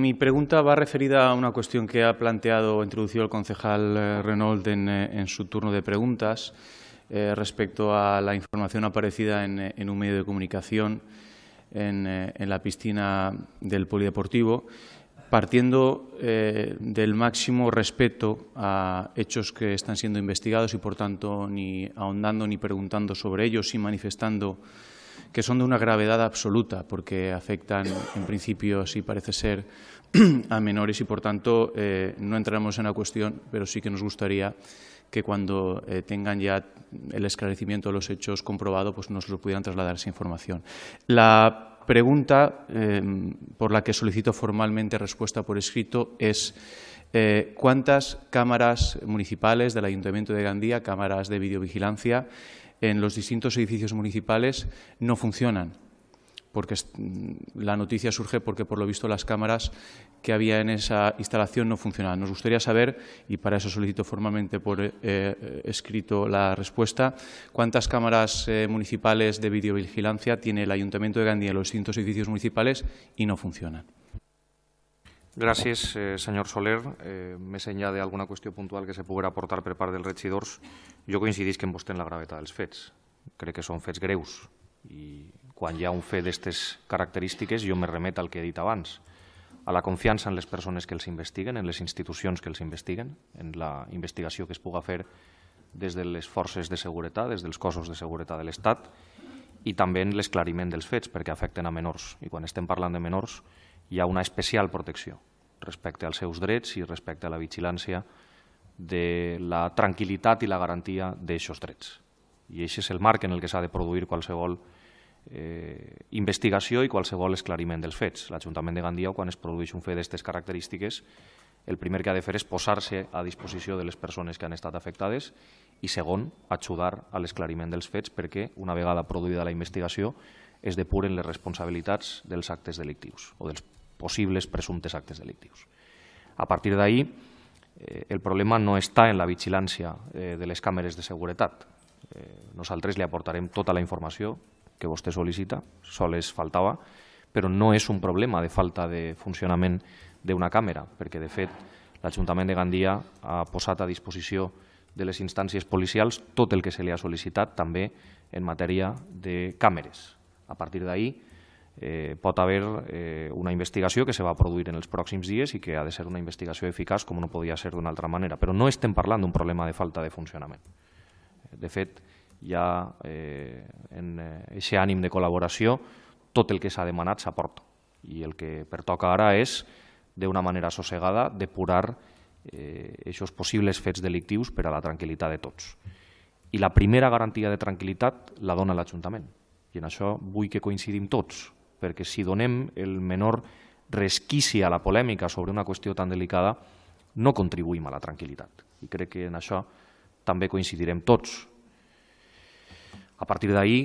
Mi pregunta va referida a una cuestión que ha planteado o introducido el concejal Renault en su turno de preguntas respecto a la información aparecida en un medio de comunicación en la piscina del polideportivo, partiendo del máximo respeto a hechos que están siendo investigados y, por tanto, ni ahondando ni preguntando sobre ellos y manifestando que son de una gravedad absoluta porque afectan, en principio, sí parece ser, a menores y, por tanto, no entraremos en la cuestión, pero sí que nos gustaría que cuando tengan ya el esclarecimiento de los hechos comprobado, pues nos lo pudieran trasladar esa información. La pregunta por la que solicito formalmente respuesta por escrito es ¿cuántas cámaras municipales del Ayuntamiento de Gandía, cámaras de videovigilancia, en los distintos edificios municipales no funcionan? Porque la noticia surge porque, por lo visto, las cámaras que había en esa instalación no funcionaban. Nos gustaría saber, y para eso solicito formalmente por escrito la respuesta, cuántas cámaras municipales de videovigilancia tiene el Ayuntamiento de Gandía en los distintos edificios municipales i no funcionen. Gràcies, senyor Soler. Més enllà d'alguna qüestió puntual que se poguera aportar per part dels regidors, jo coincidisc amb vostè en la gravetat dels fets. Crec que són fets greus i quan hi ha un fet d'aquestes característiques jo me remet al que he dit abans, a la confiança en les persones que els investiguen, en les institucions que els investiguen, en la investigació que es puga fer des de les forces de seguretat, des dels cossos de seguretat de l'Estat i també en l'esclariment dels fets perquè afecten a menors. I quan estem parlant de menors hi ha una especial protecció respecte als seus drets i respecte a la vigilància de la tranquil·litat i la garantia d'aixòs drets. I aquest és el marc en el que s'ha de produir qualsevol investigació i qualsevol esclariment dels fets. L'Ajuntament de Gandia, quan es produeix un fet d'aquestes característiques, el primer que ha de fer és posar-se a disposició de les persones que han estat afectades i, segon, ajudar a l'esclariment dels fets perquè, una vegada produïda la investigació, es depuren les responsabilitats dels actes delictius o dels possibles presumptes actes delictius. A partir d'ahí, el problema no està en la vigilància de les càmeres de seguretat. Nosaltres li aportarem tota la informació que vostè sol·licita, sols faltava, però no és un problema de falta de funcionament d'una càmera, perquè, de fet, l'Ajuntament de Gandia ha posat a disposició de les instàncies policials tot el que se li ha sol·licitat, també en matèria de càmeres. A partir d'ahí pot haver una investigació que se va produir en els pròxims dies i que ha de ser una investigació eficaç com no podia ser d'una altra manera, però no estem parlant d'un problema de falta de funcionament. De fet, hi ha en aquest ànim de col·laboració tot el que s'ha demanat s'aporta i el que pertoca ara és, d'una manera assossegada, depurar aquests possibles fets delictius per a la tranquil·litat de tots. I la primera garantia de tranquil·litat la dona l'Ajuntament. I en això vull que coincidim tots, perquè si donem el menor resquici a la polèmica sobre una qüestió tan delicada, no contribuïm a la tranquil·litat. I crec que en això també coincidirem tots. A partir d'ahí,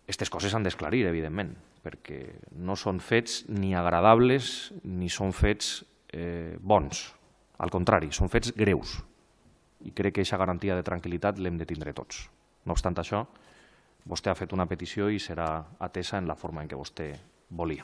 aquestes coses s'han d'esclarir, evidentment, perquè no són fets ni agradables ni són fets bons. Al contrari, són fets greus. I crec que aquesta garantia de tranquil·litat l'hem de tindre tots. No obstant això, vostè ha fet una petició i serà atesa en la forma en què vostè volia.